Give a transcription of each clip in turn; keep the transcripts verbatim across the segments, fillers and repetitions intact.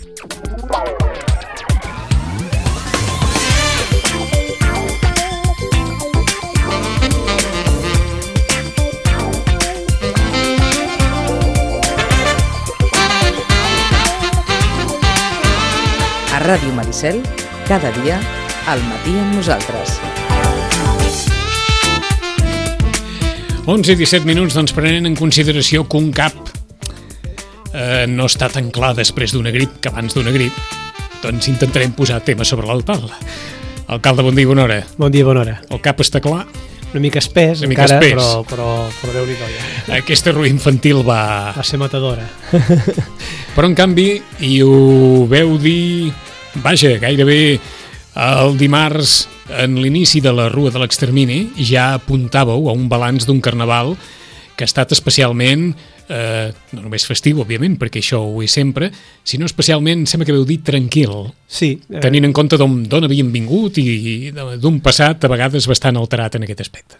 A Ràdio Maricel, cada dia, al matí amb nosaltres. onze i disset minuts, doncs, prenent en consideració que un cap eh, no està tan clar després d'una grip que abans d'una grip, doncs intentarem posar temes sobre l'altal. Alcalde, bon dia i bona hora. Bon dia i bona hora. El cap està clar? Una mica espès, Una mica encara, espès. però, però, però Déu-n'hi-do ja. Aquesta rua infantil va... Va ser matadora. Però, en canvi, i ho veu dir, vaja, gairebé el dimarts, en l'inici de la Rua de l'Extermini, ja apuntàveu a un balanç d'un carnaval que ha estat especialment, eh, no només festiu, òbviament, perquè això ho és sempre, sinó especialment, sembla que veu dir, tranquil, Sí. Eh, tenint en compte d'on d'on havien vingut i d'un passat a vegades bastant alterat en aquest aspecte.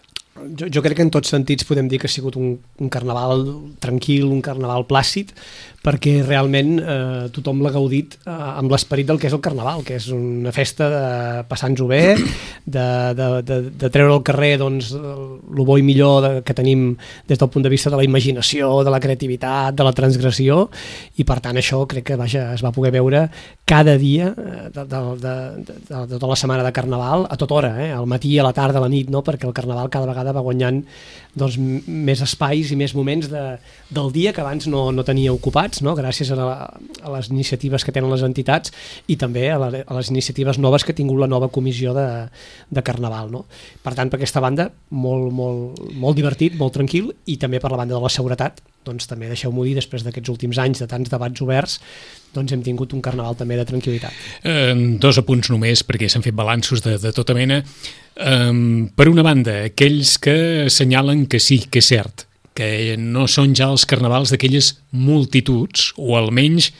jo, jo crec que en tots sentits podem dir que ha sigut un, un carnaval tranquil, un carnaval plàcid, perquè realment eh, tothom l'ha gaudit eh, amb l'esperit del que és el carnaval, que és una festa de passar-nos-ho bé, de, de, de, de treure al carrer doncs, el bo i millor de, que tenim des del punt de vista de la imaginació, de la creativitat, de la transgressió, i per tant això crec que vaja, es va poder veure cada dia de, de, de, de, de tota la setmana de carnaval, a tota hora, eh? Al matí, a la tarda, a la nit, no? Perquè el carnaval cada vegada va guanyant doncs, més espais i més moments de, del dia que abans no, no tenia ocupats, no? Gràcies a, la, a les iniciatives que tenen les entitats i també a, la, a les iniciatives noves que ha tingut la nova comissió de, de Carnaval. No? Per tant, per aquesta banda, molt, molt, molt divertit, molt tranquil, i també per la banda de la seguretat, doncs també deixeu-m'ho dir, després d'aquests últims anys de tants debats oberts, doncs hem tingut un carnaval també de tranquil·litat. Eh, dos apunts només, perquè s'han fet balanços de, de tota mena. Eh, per una banda, aquells que assenyalen que sí, que és cert, que no són ja els carnavals d'aquelles multituds, o almenys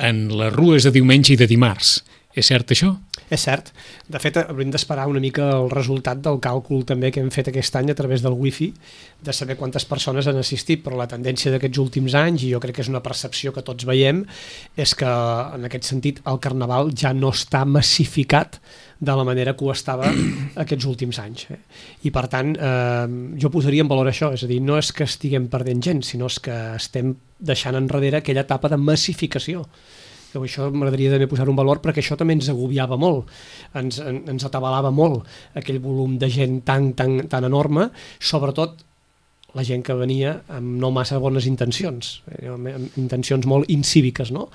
en les rues de diumenge i de dimarts. És cert això? És cert. De fet, haurem d'esperar una mica el resultat del càlcul també que hem fet aquest any a través del wifi, de saber quantes persones han assistit, però la tendència d'aquests últims anys, i jo crec que és una percepció que tots veiem, és que en aquest sentit el carnaval ja no està massificat de la manera que ho estava aquests últims anys. Eh? I per tant, eh, jo posaria en valor això, és a dir, no és que estiguem perdent gent, sinó és que estem deixant enrere aquella etapa de massificació. Això m'agradaria també posar un valor perquè això també ens agobiava molt, ens, ens atabalava molt aquell volum de gent tan, tan, tan enorme, sobretot la gent que venia amb no massa bones intencions, amb intencions molt incíviques, no?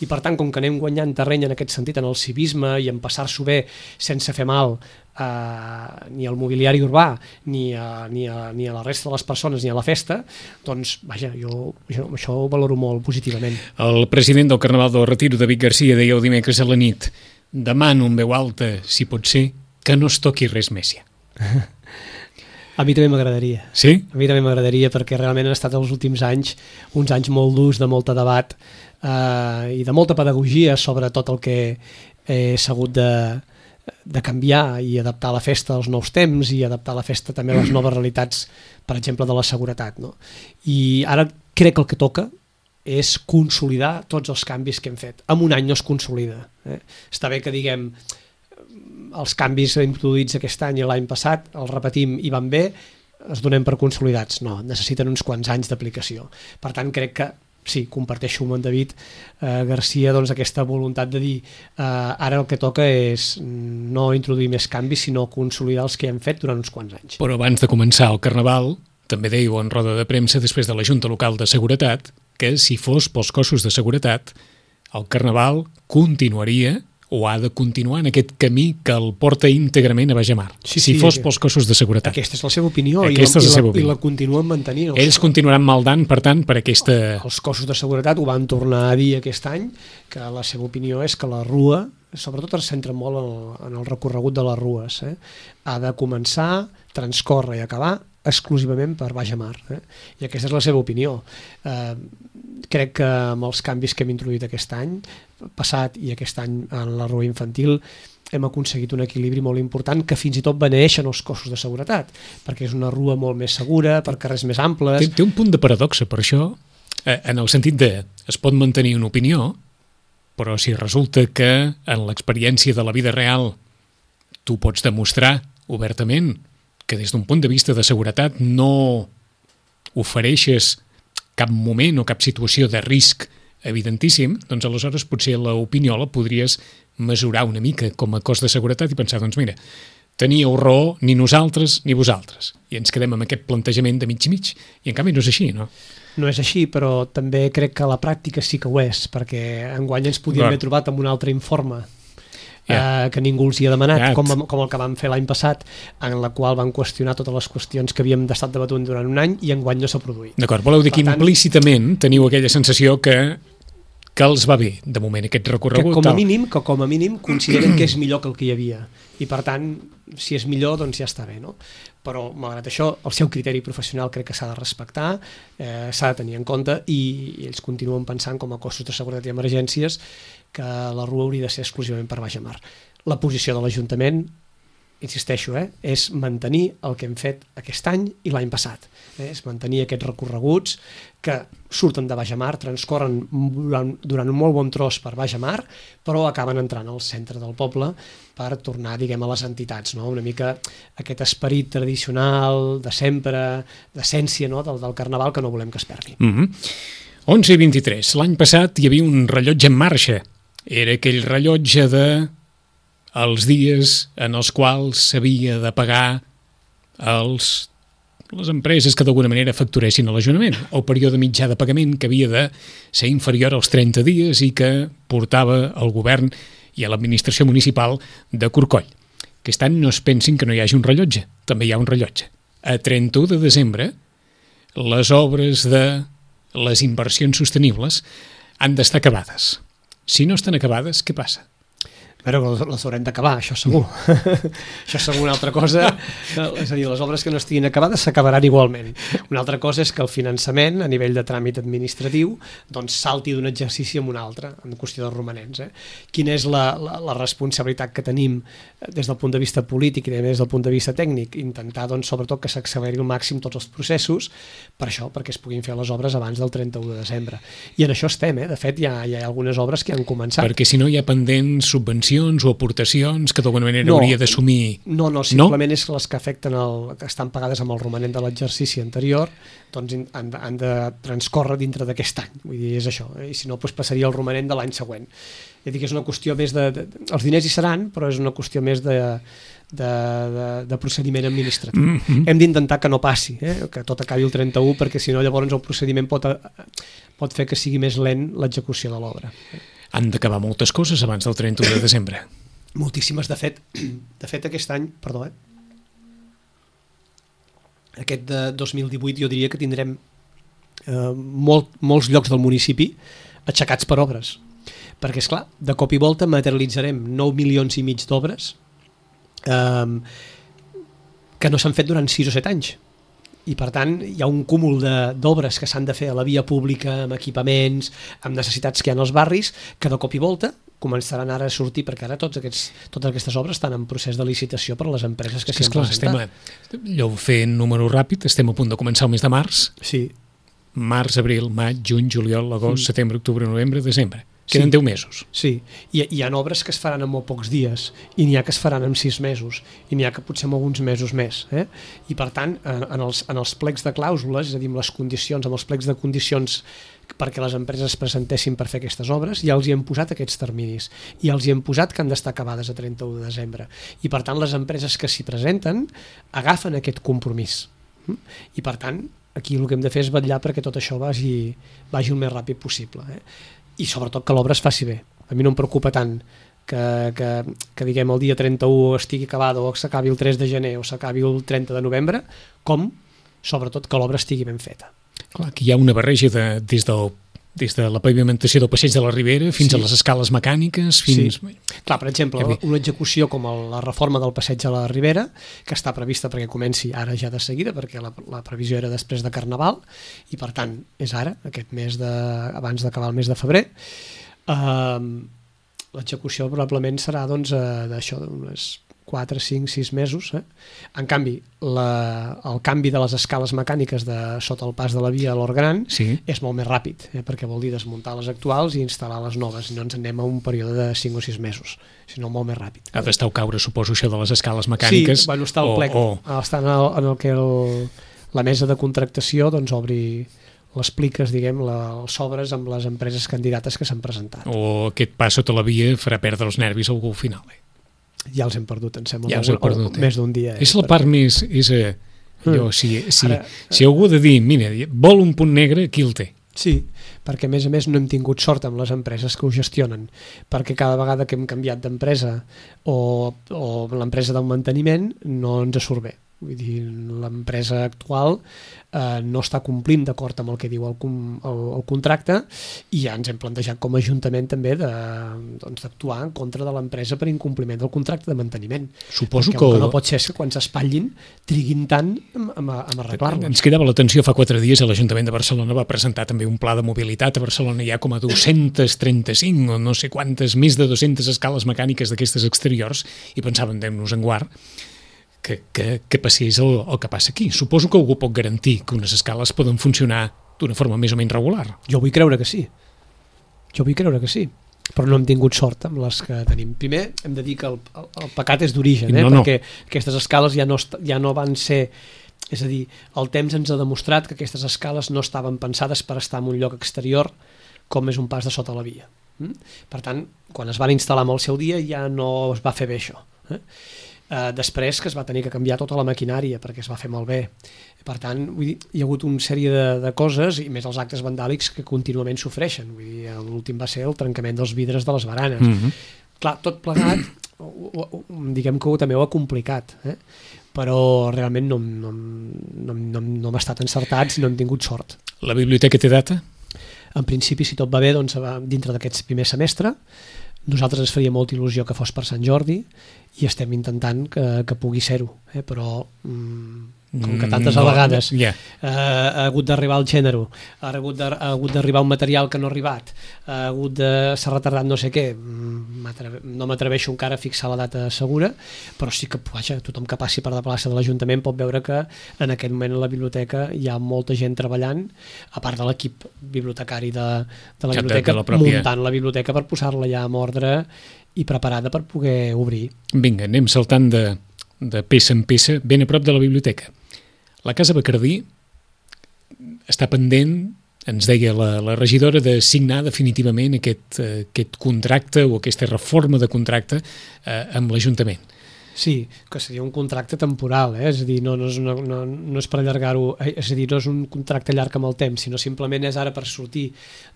I per tant, com que anem guanyant terreny en aquest sentit, en el civisme i en passar-s'ho bé sense fer mal Uh, ni al mobiliari urbà ni a, ni, a, ni a la resta de les persones ni a la festa, doncs vaja, jo, jo això ho valoro molt positivament. El president del Carnaval del Retiro, David Garcia, deia el dimecres a la nit: demano en veu alta, si pot ser, que no es toqui res més ja. A mi també m'agradaria. Sí? A mi també m'agradaria, perquè realment han estat els últims anys uns anys molt durs, de molta debat uh, i de molta pedagogia sobre tot el que he sabut de de canviar i adaptar la festa als nous temps i adaptar la festa també a les noves realitats, per exemple, de la seguretat. No? I ara crec que el que toca és consolidar tots els canvis que hem fet. En un any no es consolida. Eh? Està bé que diguem els canvis introduïts aquest any i l'any passat, els repetim i van bé, els donem per consolidats. No, necessiten uns quants anys d'aplicació. Per tant, crec que sí, comparteixo amb en David eh, Garcia doncs, aquesta voluntat de dir eh, ara el que toca és no introduir més canvis, sinó consolidar els que hem fet durant uns quants anys. Però abans de començar el Carnaval, també dèieu en roda de premsa després de la Junta Local de Seguretat que si fos pels cossos de seguretat el Carnaval continuaria o ha de continuar en aquest camí que el porta íntegrament a Baix-a-Mar, sí, si sí, fos pels cossos de seguretat. Aquesta és la seva opinió, i la, és la, i, la, opinió. i la continuen mantenint. Ells continuaran maldant, per tant, per aquesta... Els cossos de seguretat ho van tornar a dir aquest any, que la seva opinió és que la rua, sobretot es centra molt en el, en el recorregut de les rues, eh? Ha de començar, transcórrer i acabar exclusivament per Baix-a-Mar. Eh? I aquesta és la seva opinió. Eh, crec que amb els canvis que hem introduït aquest any passat i aquest any en la rua infantil hem aconseguit un equilibri molt important que fins i tot beneeixen els cossos de seguretat, perquè és una rua molt més segura, per carrers més amples... Té, té un punt de paradoxa per això, eh, en el sentit de es pot mantenir una opinió, però si resulta que en l'experiència de la vida real tu pots demostrar obertament que des d'un punt de vista de seguretat no ofereixes cap moment o cap situació de risc evidentíssim, doncs aleshores potser l'opinió la podries mesurar una mica com a cost de seguretat i pensar, doncs mira, teníeu raó ni nosaltres ni vosaltres. I ens quedem amb aquest plantejament de mig i mig. I en canvi no és així, no? No és així, però també crec que a la pràctica sí que ho és, perquè enguany ens podíem haver trobat amb un altre informe yeah. eh, que ningú els hi ha demanat, yeah. com, com el que vam fer l'any passat, en la qual van qüestionar totes les qüestions que havíem estat debatut durant un any i enguany no s'ha produït. D'acord, voleu dir que tant, implícitament teniu aquella sensació que que els va bé, de moment, aquest recorregut. Que com a mínim, que com a mínim consideren que és millor que el que hi havia. I per tant, si és millor, doncs ja està bé, no? Però, malgrat això, el seu criteri professional crec que s'ha de respectar, eh, s'ha de tenir en compte i, i ells continuen pensant com a cossos de seguretat i emergències que la rua hauria de ser exclusivament per baix a mar. La posició de l'Ajuntament, insisteixo, eh, és mantenir el que hem fet aquest any i l'any passat. Eh, és mantenir aquests recorreguts que surten de baix a mar, transcorren durant, durant un molt bon tros per baix a mar, però acaben entrant al centre del poble per tornar, diguem, a les entitats, no? Una mica aquest esperit tradicional de sempre, d'essència, no? del, del carnaval que no volem que es perdi. Mm-hmm. onze i vint-i-tres. L'any passat hi havia un rellotge en marxa. Era aquell rellotge de els dies en els quals s'havia de pagar els, les empreses que d'alguna manera facturessin a l'Ajuntament, el període mitjà de pagament que havia de ser inferior als trenta dies i que portava el govern i a l'administració municipal de Corcoll. Aquest any no es pensin que no hi hagi un rellotge, també hi ha un rellotge. A trenta-u de desembre, les obres de les inversions sostenibles han d'estar acabades. Si no estan acabades, què passa? Però les haurem d'acabar, això segur. Això és segur. Una altra cosa, és a dir, les obres que no estiguin acabades s'acabaran igualment. Una altra cosa és que el finançament, a nivell de tràmit administratiu, doncs salti d'un exercici a un altre, en qüestió de romanents. Eh? Quina és la, la, la responsabilitat que tenim des del punt de vista polític i des del punt de vista tècnic? Intentar, doncs, sobretot, que s'acceleri al màxim tots els processos, per això, perquè es puguin fer les obres abans del trenta-u de desembre. I en això estem, eh? De fet, hi ha, hi ha algunes obres que han començat. Perquè si no hi ha pendents subvencions o aportacions que d'alguna manera no, hauria d'assumir... No, no, simplement no? És que les que afecten el, que estan pagades amb el romanent de l'exercici anterior doncs han, de, han de transcórrer dintre d'aquest any, vull dir, és això, eh? I si no doncs passaria el romanent de l'any següent. És a dir, que és una qüestió més de, de... Els diners hi seran, però és una qüestió més de, de, de, de procediment administratiu. Mm-hmm. Hem d'intentar que no passi, eh? Que tot acabi el trenta-u, perquè si no llavors el procediment pot, pot fer que sigui més lent l'execució de l'obra. Han d'acabar moltes coses abans del trenta-u de desembre. Moltíssimes, de fet. De fet, aquest any, perdó, eh? Aquest de dos mil divuit jo diria que tindrem eh, molt, molts llocs del municipi aixecats per obres. Perquè, esclar, de cop i volta materialitzarem nou milions i mig d'obres eh, que no s'han fet durant sis o set anys. I per tant hi ha un cúmul d'obres que s'han de fer a la via pública, amb equipaments, amb necessitats que hi ha als barris, que de cop i volta començaran ara a sortir, perquè ara tots aquests, totes aquestes obres estan en procés de licitació per a les empreses que s'hi han presentat. Allò fent número ràpid, estem a punt de començar el mes de març. Sí. Març, abril, maig, juny, juliol, agost, mm. setembre, octubre, novembre, desembre. Queden sí. deu mesos. Sí, I, hi ha obres que es faran en molt pocs dies, i n'hi ha que es faran en sis mesos, i n'hi ha que potser en alguns mesos més. Eh? I per tant, en, en, els, en els plecs de clàusules, és a dir, amb les condicions, amb els plecs de condicions perquè les empreses es presentessin per fer aquestes obres, ja els hi hem posat aquests terminis, i els hi hem posat que han d'estar acabades a trenta-u de desembre. I per tant, les empreses que s'hi presenten agafen aquest compromís. I per tant, aquí el que hem de fer és vetllar perquè tot això vagi, vagi el més ràpid possible. Eh? I sobretot que l'obra es faci bé. A mi no em preocupa tant que, que, que diguem el dia trenta-u estigui acabada o s'acabi el tres de gener o s'acabi el trenta de novembre, com sobretot que l'obra estigui ben feta. Clar, aquí hi ha una barreja de, des, del, des de la pavimentació del passeig de la Ribera fins sí. a les escales mecàniques fins... Sí. Clar, per exemple, una execució com la reforma del passeig de la Ribera, que està prevista perquè comenci ara ja de seguida, perquè la, la previsió era després de Carnaval, i per tant és ara, aquest mes de, abans d'acabar el mes de febrer. Uh, l'execució probablement serà doncs, uh, d'això, d'unes quatre, cinc, sis mesos. Eh? En canvi, la, el canvi de les escales mecàniques de sota el pas de la via a l'Orgran Sí. és molt més ràpid, eh? perquè vol dir desmuntar les actuals i instal·lar les noves, i no ens anem a un període de cinc o sis mesos, sinó molt més ràpid. Ha d'estar a caure, suposo, això de les escales mecàniques. Sí, bueno, està al plec, o, o... està en el, en el que el, la mesa de contractació doncs, obri les pliques, diguem, la, els sobres amb les empreses candidates que s'han presentat. o aquest pas sota la via farà perdre els nervis a algú al final. Eh? Ja els hem perdut, em sembla, Ja els heu perdut, eh? més d'un dia. Eh? És la part més... És, eh, allò, Mm. si, si, Ara- si algú ha de dir, mira, vol un punt negre, aquí el té. Sí, perquè a més a més no hem tingut sort amb les empreses que ho gestionen, perquè cada vegada que hem canviat d'empresa o, o l'empresa del manteniment no ens surt bé. Vull dir, l'empresa actual eh, no està complint d'acord amb el que diu el, com- el, el contracte, i ja ens hem plantejat com a Ajuntament també de, doncs, d'actuar en contra de l'empresa per incompliment del contracte de manteniment. Suposo Perquè que... el que no pot ser és que quan s'espatllin triguin tant amb, amb, amb arreglar-los. Ens cridava l'atenció fa quatre dies, l'Ajuntament de Barcelona va presentar també un pla de mobilitat. A Barcelona hi ha com a dos-cents trenta-cinc o no sé quantes, més de dues-centes escales mecàniques d'aquestes exteriors, i pensàvem, anem-nos en guard, que, que, que passés el, el que passa aquí. Suposo que algú pot garantir que unes escales poden funcionar d'una forma més o menys regular. Jo vull creure que sí. Jo vull creure que sí. Però no hem tingut sort amb les que tenim. Primer, hem de dir que el, el, el pecat és d'origen, eh? No, no. perquè aquestes escales ja no, est- ja no van ser... És a dir, el temps ens ha demostrat que aquestes escales no estaven pensades per estar en un lloc exterior com és un pas de sota la via. Mm? Per tant, quan es van instal·lar amb el seu dia ja no es va fer bé això. Eh? Uh, després que es va tenir que canviar tota la maquinària perquè es va fer malbé. Per tant, vull dir, hi ha hagut una sèrie de, de coses, i més els actes vandàlics que contínuament sofreixen. Vull dir, l'últim va ser el trencament dels vidres de les baranes. Mm -hmm. Clar, tot plegat, o, o, o, diguem que ho, també ho ha complicat, eh? Però realment no, no, no, no, no hem estat encertats i no hem tingut sort. La biblioteca té data? En principi, si tot va bé, doncs, dintre d'aquest primer semestre. Nosaltres ens faria molta il·lusió que fos per Sant Jordi i estem intentant que, que pugui ser-ho, eh? Però mm, com que tantes No, vegades ja. eh, ha hagut d'arribar el gènere, ha hagut de- ha hagut d'arribar un material que no ha arribat, ha hagut de... s'ha retardat no sé què, mm, m'atreve- no m'atreveixo encara a fixar la data segura, però sí que, vaja, tothom que passi per la plaça de l'Ajuntament pot veure que en aquest moment a la biblioteca hi ha molta gent treballant, a part de l'equip bibliotecari de, de la De- de biblioteca, la pròpia- muntant la biblioteca per posar-la ja en ordre i preparada per poder obrir. Vinga, anem saltant de, de peça en peça, ben a prop de la biblioteca. La Casa Bacardí està pendent, ens deia la, la regidora, de signar definitivament aquest, eh, aquest contracte o aquesta reforma de contracte eh, amb l'Ajuntament. Sí, que seria un contracte temporal, eh? És a dir, no, no, és, una, no, no és per allargar-ho, eh, és a dir, no és un contracte llarg amb el temps, sinó simplement és ara per sortir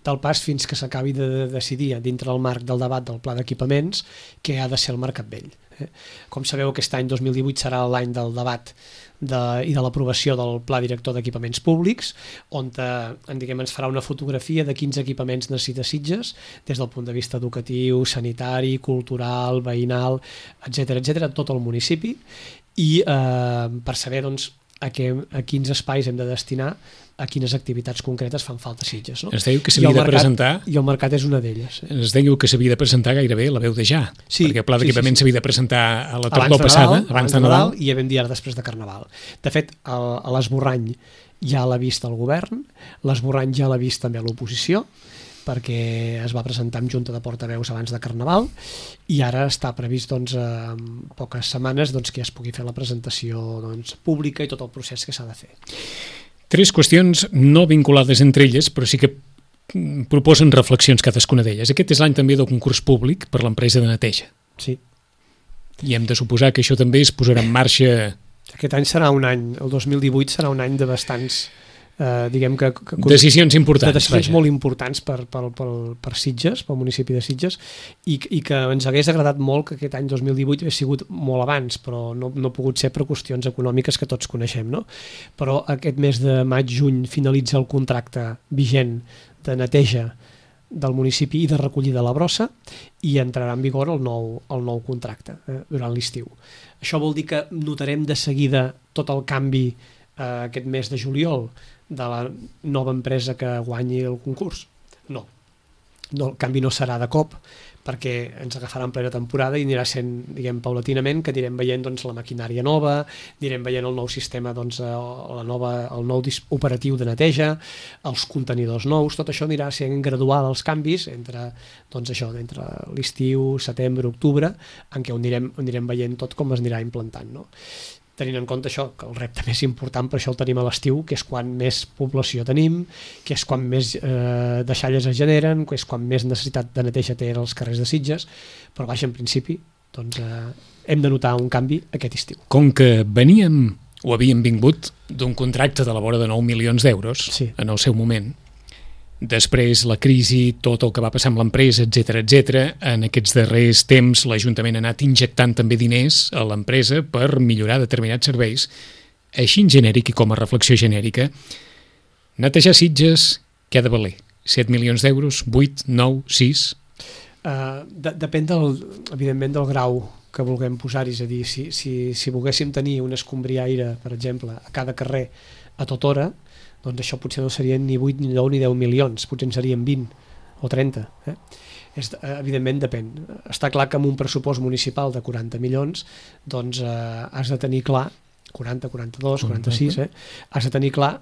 del pas fins que s'acabi de, de decidir dintre del marc del debat del pla d'equipaments què ha de ser el Mercat Vell. Eh? Com sabeu, aquest any dos mil divuit serà l'any del debat de, i de l'aprovació del Pla Director d'Equipaments Públics, on eh, en, diguem, ens farà una fotografia de quins equipaments necessita Sitges des del punt de vista educatiu, sanitari, cultural, veïnal, etcètera, etcètera, tot el municipi, i eh, per saber doncs, a, què, a quins espais hem de destinar a quines activitats concretes fan falta a Sitges. No? Ens dèieu que I s'havia el de mercat- presentar... I el mercat és una d'elles. Eh? Ens dèieu que s'havia de presentar gairebé la veu de ja, Sí, perquè el pla sí, d'equipament sí, sí. s'havia de presentar a la Abans tardor de passada, Nadal, abans de Nadal. i ja vam dir ara després de Carnaval. De fet, el, a l'esborrany ja l'ha vist el govern, l'esborrany ja l'ha vist també l'oposició, perquè es va presentar en junta de portaveus abans de Carnaval, i ara està previst doncs, en poques setmanes doncs, que ja es pugui fer la presentació doncs, pública i tot el procés que s'ha de fer. Tres qüestions no vinculades entre elles, però sí que mm, proposen reflexions cadascuna d'elles. Aquest és l'any també del concurs públic per l'empresa de neteja. Sí. I hem de suposar que això també es posarà en marxa... Aquest any serà un any, el dos mil divuit serà un any de bastants, eh, diguem que... que Decisions importants, de decisions vaja. molt importants per, per, per, per Sitges, pel municipi de Sitges, i, i que ens hagués agradat molt que aquest any dos mil divuit hagués sigut molt abans, però no, no ha pogut ser per qüestions econòmiques que tots coneixem, no? Però aquest mes de maig-juny finalitza el contracte vigent de neteja del municipi i de recollida de la brossa, i entrarà en vigor el nou, el nou contracte eh, durant l'estiu. Això vol dir que notarem de seguida tot el canvi eh, aquest mes de juliol de la nova empresa que guanyi el concurs? No. no, el canvi no serà de cop, perquè ens agafarà en plena temporada i anirà sent, diguem, paulatinament, que anirem veient doncs, la maquinària nova, anirem veient el nou sistema, doncs, la nova, el nou operatiu de neteja, els contenidors nous, tot això anirà sent gradual els canvis entre, doncs, això, entre l'estiu, setembre, octubre, en què ho anirem, ho anirem veient tot com es anirà implantant, no? Tenint en compte això, que el repte més important per això el tenim a l'estiu, que és quan més població tenim, que és quan més eh, deixalles es generen, que és quan més necessitat de neteja té als carrers de Sitges, però vaja, en principi doncs, eh, hem de notar un canvi aquest estiu. Com que veníem o havíem vingut d'un contracte de la vora de nou milions d'euros, sí, en el seu moment, després la crisi, tot el que va passar amb l'empresa, etcètera, etcètera, en aquests darrers temps l'Ajuntament ha anat injectant també diners a l'empresa per millorar determinats serveis. Així en genèric i com a reflexió genèrica, netejar Sitges, què ha de valer? set milions d'euros? vuit, nou, sis? Uh, de, depèn del, evidentment del grau que vulguem posar-hi, és a dir, si, si, si volguéssim tenir un escombriaire, per exemple, a cada carrer a tota hora, doncs això potser no serien ni vuit, ni nou, ni deu milions, potser en serien vint o trenta. Eh? És, evidentment depèn. Està clar que amb un pressupost municipal de quaranta milions doncs eh, has de tenir clar, quaranta, quaranta-dos, quaranta-sis, eh? has de tenir clar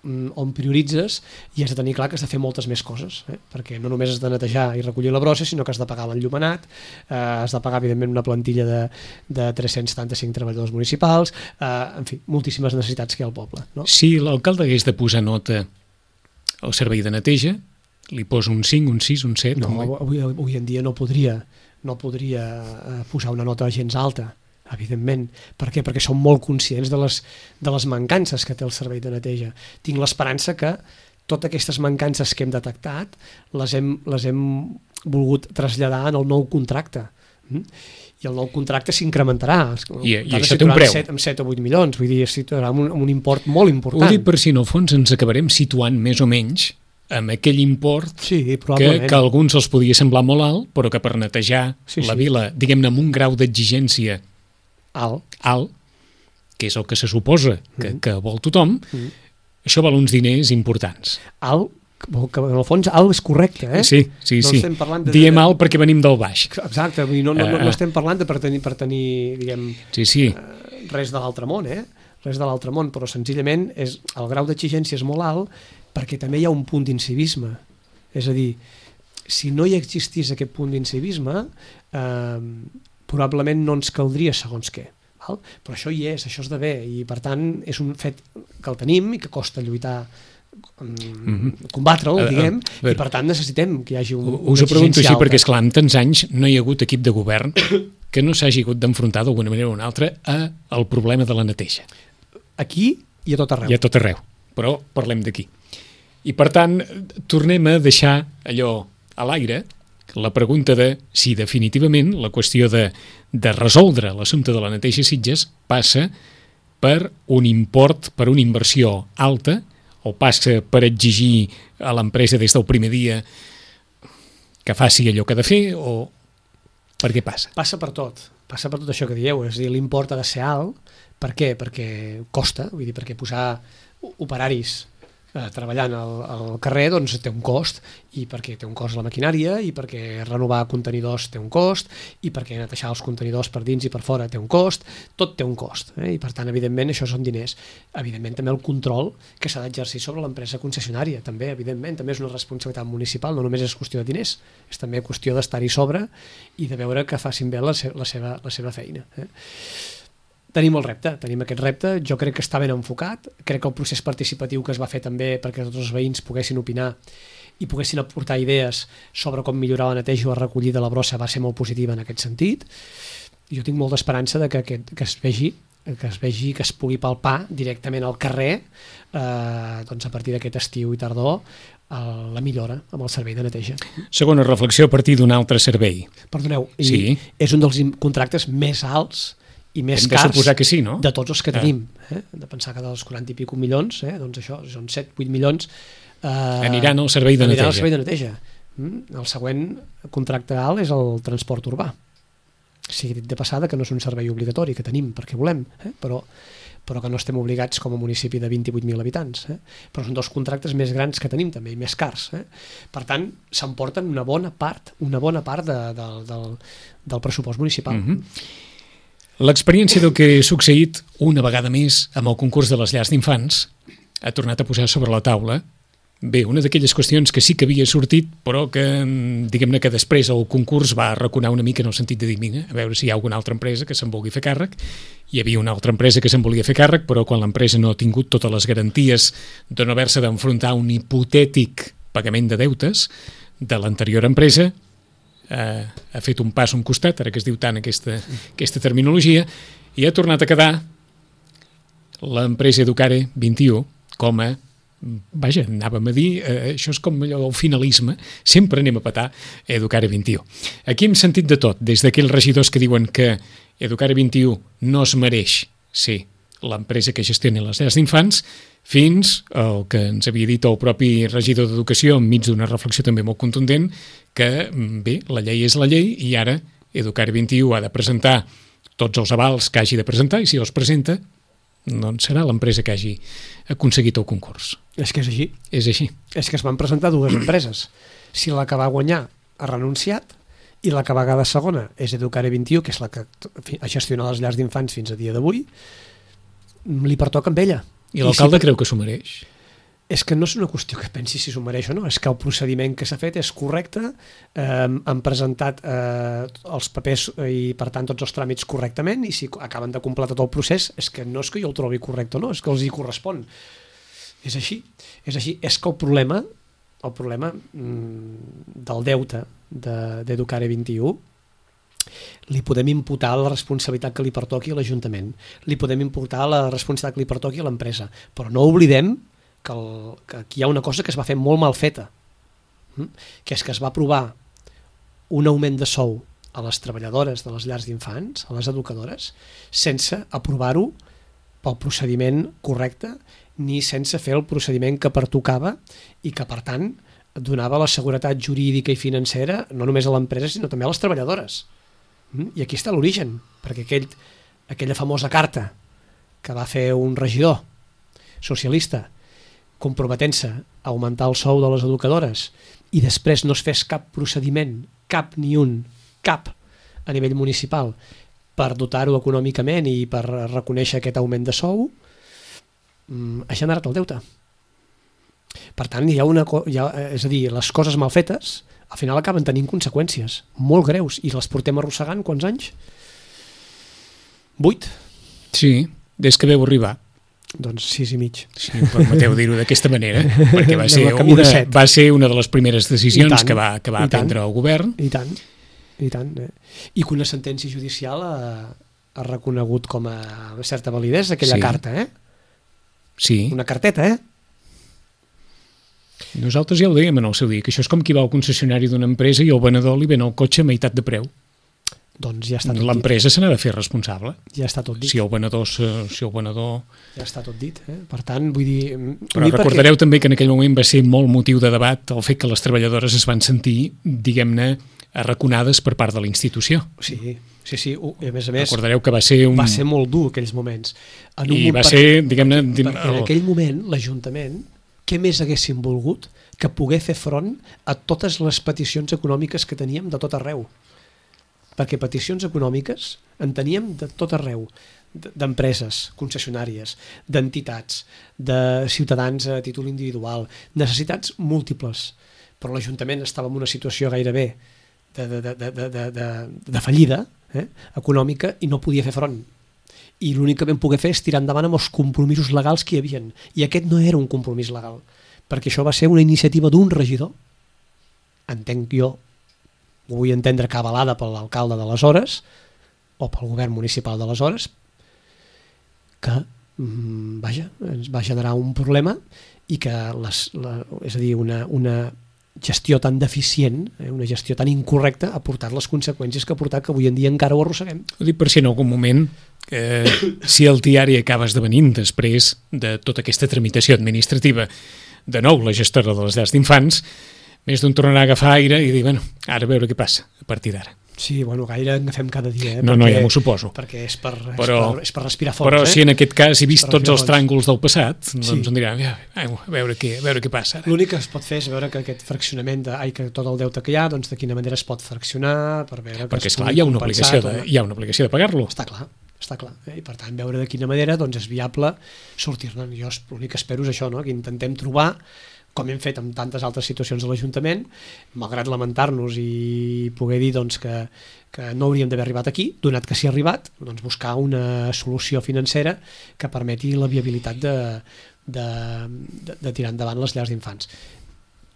on prioritzes i has de tenir clar que has de fer moltes més coses, eh? Perquè no només has de netejar i recollir la brossa, sinó que has de pagar l'enllumenat, eh, has de pagar evidentment una plantilla de, de tres-cents setanta-cinc treballadors municipals, eh, en fi, moltíssimes necessitats que hi ha al poble, no? Si l'alcalde hagués de posar nota al servei de neteja, li posa un cinc, un sis, un set? No, avui, avui en dia no podria, no podria posar una nota gens alta, evidentment. Per què? Perquè som molt conscients de les, de les mancances que té el servei de neteja. Tinc l'esperança que totes aquestes mancances que hem detectat les hem, les hem volgut traslladar en el nou contracte. I el nou contracte s'incrementarà. I, i això té un preu. Amb set o vuit milions, vull dir, situarà un, un import molt important. Ho dic per si en el fons ens acabarem situant més o menys amb aquell import sí, que, que a alguns els podia semblar molt alt, però que per netejar sí, la sí. vila, diguem-ne, amb un grau d'exigència alt, alt, que és el que se suposa que, mm. que vol tothom, mm. això val uns diners importants. Alt, que en el fons alt és correcte, eh? Sí, sí, no sí. De, Diem alt perquè venim del baix. Exacte, vull dir, no, no, no, no estem parlant de per tenir, per tenir diguem, sí, sí. Eh, res de l'altre món, eh? Res de l'altre món, però senzillament és, el grau d'exigència és molt alt perquè també hi ha un punt d'incivisme. És a dir, si no hi existís aquest punt d'incivisme, eh, probablement no ens caldria segons què, val? Però això hi és, això és d'haver, i per tant és un fet que el tenim i que costa lluitar, mm-hmm. combatre'l, diguem, uh, uh, i per tant necessitem que hi hagi un, us ho pregunto així perquè, esclar, en tants anys no hi ha hagut equip de govern que no s'hagi hagut d'enfrontar d'alguna manera o una altra al problema de la neteja. Aquí i a tot arreu. I a tot arreu, però parlem d'aquí. I per tant, tornem a deixar allò a l'aire, la pregunta de si definitivament la qüestió de, de resoldre l'assumpte de la neteja a Sitges passa per un import, per una inversió alta, o passa per exigir a l'empresa des del primer dia que faci allò que ha de fer, o per què passa? Passa per tot, passa per tot això que dieu, és a dir, l'import ha de ser alt. Per què? Perquè costa, vull dir, perquè posar operaris eh, treballant al, al carrer doncs té un cost, i perquè té un cost la maquinària, i perquè renovar contenidors té un cost, i perquè netejar els contenidors per dins i per fora té un cost, tot té un cost, eh? I per tant, evidentment, això són diners. Evidentment, també el control que s'ha d'exercir sobre l'empresa concessionària, també, evidentment, també és una responsabilitat municipal, no només és qüestió de diners, és també qüestió d'estar-hi sobre i de veure que facin bé la, se la, seva, la seva feina. Eh? Tenim el repte, tenim aquest repte, jo crec que està ben enfocat, crec que el procés participatiu que es va fer també perquè tots els veïns poguessin opinar i poguessin aportar idees sobre com millorar la neteja o la recollida de la brossa va ser molt positiva en aquest sentit. Jo tinc molta esperança de que, aquest, que es vegi que es vegi, que es pugui palpar directament al carrer eh, doncs a partir d'aquest estiu i tardor el, la millora amb el servei de neteja. Segona reflexió a partir d'un altre servei. Perdoneu, i sí. És un dels contractes més alts i més Hem de cars suposar que sí, no? de tots els que tenim. Eh? Hem de pensar que dels quaranta i pico milions, eh? doncs això, són set vuit milions eh, aniran al servei de aniran neteja. Al servei de neteja. Mm? El següent contracte alt és el transport urbà. Sigui dit de passada que no és un servei obligatori que tenim perquè volem, eh? però, però que no estem obligats com a municipi de vint-i-vuit mil habitants. Eh? Però són dos contractes més grans que tenim també, i més cars. Eh? Per tant, s'emporten una bona part, una bona part de, de, del, del pressupost municipal. Mm-hmm. L'experiència del que ha succeït una vegada més amb el concurs de les llars d'infants ha tornat a posar sobre la taula, bé, una d'aquelles qüestions que sí que havia sortit, però que, diguem-ne que després el concurs va arraconar una mica en el sentit de dir, mira, a veure si hi ha alguna altra empresa que se'n vulgui fer càrrec. Hi havia una altra empresa que se'n volia fer càrrec, però quan l'empresa no ha tingut totes les garanties de no haver-se d'enfrontar a un hipotètic pagament de deutes de l'anterior empresa, eh, ha fet un pas a un costat, ara que es diu tant aquesta, aquesta terminologia, i ha tornat a quedar l'empresa Educare vint i u com a, vaja, anàvem a dir, eh, això és com allò, el finalisme, sempre anem a petar Educare vint i u. Aquí hem sentit de tot, des d'aquells regidors que diuen que Educare vint i u no es mereix ser l'empresa que gestiona les llars d'infants, fins al que ens havia dit el propi regidor d'Educació enmig d'una reflexió també molt contundent, que, bé, la llei és la llei i ara Educare vint i u ha de presentar tots els avals que hagi de presentar i si els presenta, doncs serà l'empresa que hagi aconseguit el concurs. És que és així. És així. És que es van presentar dues empreses. Si la que va guanyar ha renunciat i la que va quedar segona és Educare vint i u, que és la que ha gestionat les llars d'infants fins a dia d'avui, li pertoca amb ella. I l'alcalde si... creu que s'ho mereix? És que no és una qüestió que pensi si s'ho mereix o no, és que el procediment que s'ha fet és correcte, eh, han presentat eh, els papers i per tant tots els tràmits correctament i si acaben de completar tot el procés és que no és que jo el trobi correcte o no, és que els hi correspon. És així, és així. És que el problema, el problema mm, del deute d'Educare vint i u li podem imputar la responsabilitat que li pertoqui a l'Ajuntament, li podem imputar la responsabilitat que li pertoqui a l'empresa, però no oblidem que, el, que aquí hi ha una cosa que es va fer molt mal feta, que és que es va aprovar un augment de sou a les treballadores de les llars d'infants, a les educadores, sense aprovar-ho pel procediment correcte ni sense fer el procediment que pertocava i que, per tant, donava la seguretat jurídica i financera no només a l'empresa, sinó també a les treballadores. I aquí està l'origen, perquè aquell, aquella famosa carta que va fer un regidor socialista comprometent-se a augmentar el sou de les educadores i després no es fes cap procediment, cap ni un, cap a nivell municipal per dotar-ho econòmicament i per reconèixer aquest augment de sou, ha generat el deute. Per tant, hi ha una, hi ha, és a dir, les coses mal fetes al final acaben tenint conseqüències molt greus i les portem arrossegant quants anys? Vuit? Sí, des que veu arribar. Doncs sis i mig. Sí, permeteu dir-ho d'aquesta manera, perquè va ser, una, va ser una de les primeres decisions tant, que va, que va prendre el govern. I tant, i tant. Eh? I que una sentència judicial ha, ha reconegut com a certa validesa aquella sí. carta, eh? Sí. Una carteta, eh? Nosaltres ja ho dèiem en el seu dia, que això és com qui va al concessionari d'una empresa i el venedor li ven el cotxe a meitat de preu. Doncs ja està tot dit. L'empresa se n'ha de fer responsable. Ja està tot dit. Si el venedor... Si el venedor... Ja està tot dit. Eh? Per tant, vull dir... Però dir recordareu perquè... també que en aquell moment va ser molt motiu de debat el fet que les treballadores es van sentir, diguem-ne, arraconades per part de la institució. Sí, sí, sí. I a més a més... Recordareu que va ser un... Va ser molt dur aquells moments. En un I moment va ser, perquè, diguem-ne... Perquè en aquell moment, l'Ajuntament, què més haguessin volgut que poder fer front a totes les peticions econòmiques que teníem de tot arreu. Perquè peticions econòmiques en teníem de tot arreu, d'empreses, concessionàries, d'entitats, de ciutadans a títol individual, necessitats múltiples. Però l'Ajuntament estava en una situació gairebé de, de, de, de, de, de, de fallida eh, econòmica i no podia fer front. I l'únic que vam poder fer és tirar endavant amb els compromisos legals que hi havia. I aquest no era un compromís legal, perquè això va ser una iniciativa d'un regidor, entenc jo, ho vull entendre que avalada per l'alcalde d'aleshores o pel govern municipal d'aleshores, que vaja, ens va generar un problema i que les, la, és a dir, una, una gestió tan deficient, eh, una gestió tan incorrecta ha portat les conseqüències que ha portat que avui en dia encara ho arrosseguem. Ho dic per si en algun moment eh, si el diari acaba esdevenint després de tota aquesta tramitació administrativa de nou la gestora de les llars d'infants, més d'un tornarà a agafar aire i dir, bueno, ara a veure què passa a partir d'ara. Sí, bueno, gaire en agafem cada dia. Eh? No, perquè, no, ja m'ho suposo. Perquè és per, és però, per, és per respirar fons. Però eh? si en aquest cas he vist tots els fons. tràngols del passat, doncs Sí. em diran, a veure què, a veure què passa. L'únic que es pot fer és veure que aquest fraccionament, de, ai, que tot el deute que hi ha, doncs de quina manera es pot fraccionar, per veure que Perquè, es esclar, pugui hi ha una compensar obligació tot, de, hi ha una obligació de pagar-lo. Està clar, està clar. Eh? I per tant, veure de quina manera doncs, és viable sortir-ne. Jo l'únic que espero és això, no? Que intentem trobar, com hem fet amb tantes altres situacions de l'Ajuntament, malgrat lamentar-nos i poder dir doncs, que, que no hauríem d'haver arribat aquí, donat que s'hi ha arribat, doncs buscar una solució financera que permeti la viabilitat de, de, de, de tirar endavant les llars d'infants.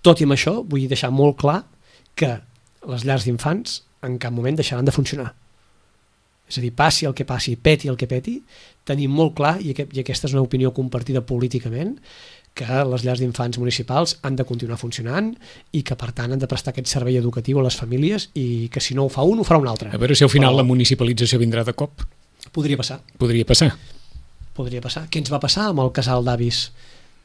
Tot i amb això, vull deixar molt clar que les llars d'infants en cap moment deixaran de funcionar. És a dir, passi el que passi, peti el que peti, tenim molt clar, i, aquest, i aquesta és una opinió compartida políticament, que les llars d'infants municipals han de continuar funcionant i que, per tant, han de prestar aquest servei educatiu a les famílies i que si no ho fa un, ho farà un altre. A veure si al final Però la municipalització vindrà de cop. podria passar. Podria passar. Podria passar. Què ens va passar amb el casal d'avis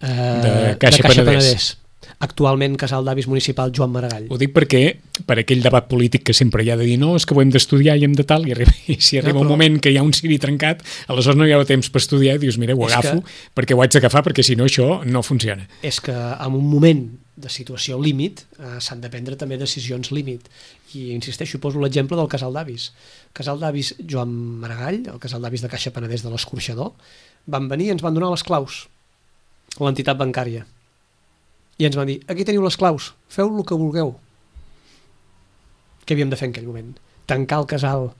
eh, De Caixa Penedès. Actualment casal d'avis municipal Joan Maragall. Ho dic perquè, per aquell debat polític que sempre hi ha de dir no, és que ho hem d'estudiar i hem de tal, i, arriba, i si arriba Ja, un però- moment que hi ha un ciri trencat, aleshores no hi ha temps per estudiar i dius, mira, ho És agafo que- perquè ho haig d'agafar perquè si no això no funciona. És que en un moment de situació límit eh, s'han de prendre també decisions límit i insisteixo, poso l'exemple del casal d'avis casal d'avis Joan Maragall, el casal d'avis de Caixa Penedès de l'Escorxador, van venir i ens van donar les claus a l'entitat bancària i ens van dir, aquí teniu les claus, feu el que vulgueu. Què havíem de fer en aquell moment? Tancar el casal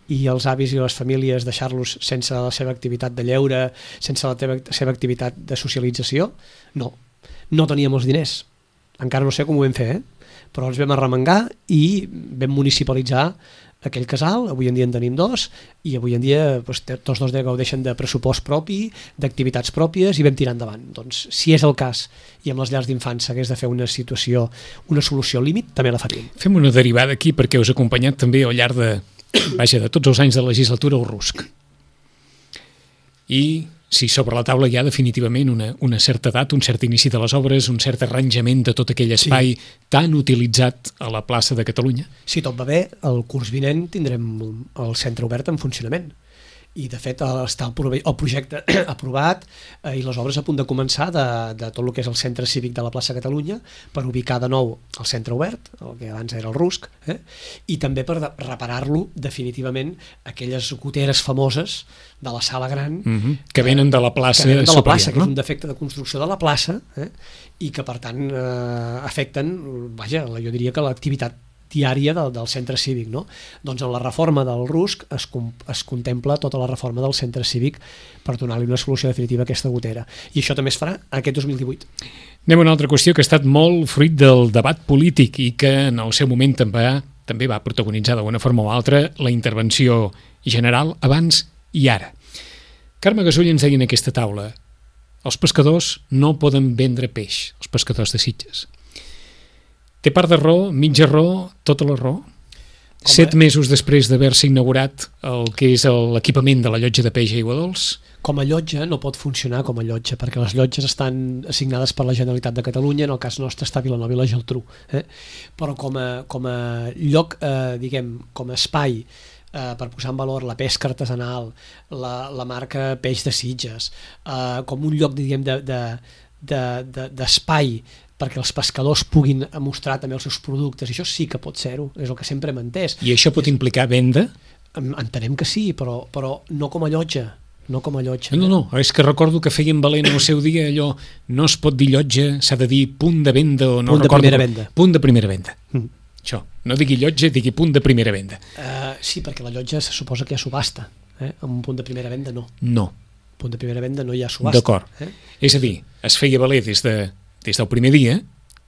i els avis i les famílies deixar-los sense la seva activitat de lleure, sense la teva, seva activitat de socialització? No. No teníem els diners. Encara no sé com ho vam fer, eh? Però els vam arremengar i vam municipalitzar aquell casal. Avui en dia en tenim dos i avui en dia doncs, tots dos gaudeixen de pressupost propi, d'activitats pròpies i vam tirar endavant. Doncs si és el cas i amb les llars d'infants s'hagués de fer una situació, una solució límit, també la faríem. Fem una derivada aquí perquè us ha acompanyat també al llarg de, vaja, de tots els anys de legislatura el RUSC. I si sobre la taula hi ha definitivament una, una certa edat, un cert inici de les obres, un cert arranjament de tot aquell espai sí. tan utilitzat a la plaça de Catalunya. Si tot va bé, el curs vinent tindrem el centre obert en funcionament. I de fet està el, prove- el projecte aprovat eh, i les obres a punt de començar de, de tot el que és el centre cívic de la plaça Catalunya per ubicar de nou el centre obert, el que abans era el RUSC, eh? I també per de- reparar-lo definitivament aquelles goteres famoses de la sala gran Mm-hmm. Que venen de la plaça que venen de la superior, plaça, que no? és un defecte de construcció de la plaça eh? I que per tant eh, afecten, vaja, jo diria que l'activitat diària del, del centre cívic, no? Doncs en la reforma del RUSC es, com, es contempla tota la reforma del centre cívic per donar-li una solució definitiva a aquesta gotera. I això també es farà aquest dos mil divuit. Anem a una altra qüestió que ha estat molt fruit del debat polític i que en el seu moment també, també va protagonitzar d'una forma o altra la intervenció general abans i ara. Carme Gasull ens deia en aquesta taula: els pescadors no poden vendre peix, els pescadors de Sitges. Té part de raó, mitja raó, tota la raó? Com Set a- mesos després d'haver-se inaugurat el que és l'equipament de la llotja de peix a Aigua Dols, Com a llotja no pot funcionar com a llotja perquè les llotges estan assignades per la Generalitat de Catalunya, en el cas nostre està Vilanova i la Geltrú, eh? Però com a, com a lloc, eh, diguem, com a espai eh, per posar en valor la pesca artesanal, la, la marca Peix de Sitges, eh, com un lloc, diguem, de, de, de, de, d'espai perquè els pescadors puguin mostrar també els seus productes, i això sí que pot ser-ho, és el que sempre hem entès. i això pot implicar venda? En- Entenem que sí, però, però no com a llotja, no com a llotja. No, no, és que recordo que feien valent al seu dia allò, no es pot dir llotja, s'ha de dir punt de venda o no Punt de recordo primera com- venda. Punt de primera venda. Mm. Això, no digui llotja, digui punt de primera venda. Uh, sí, perquè la llotja se suposa que hi ha subhasta, eh? Amb un punt de primera venda no. No, Punt de primera venda no hi ha subhasta. d'acord. Eh? És a dir, es feia valer des, de, des del primer dia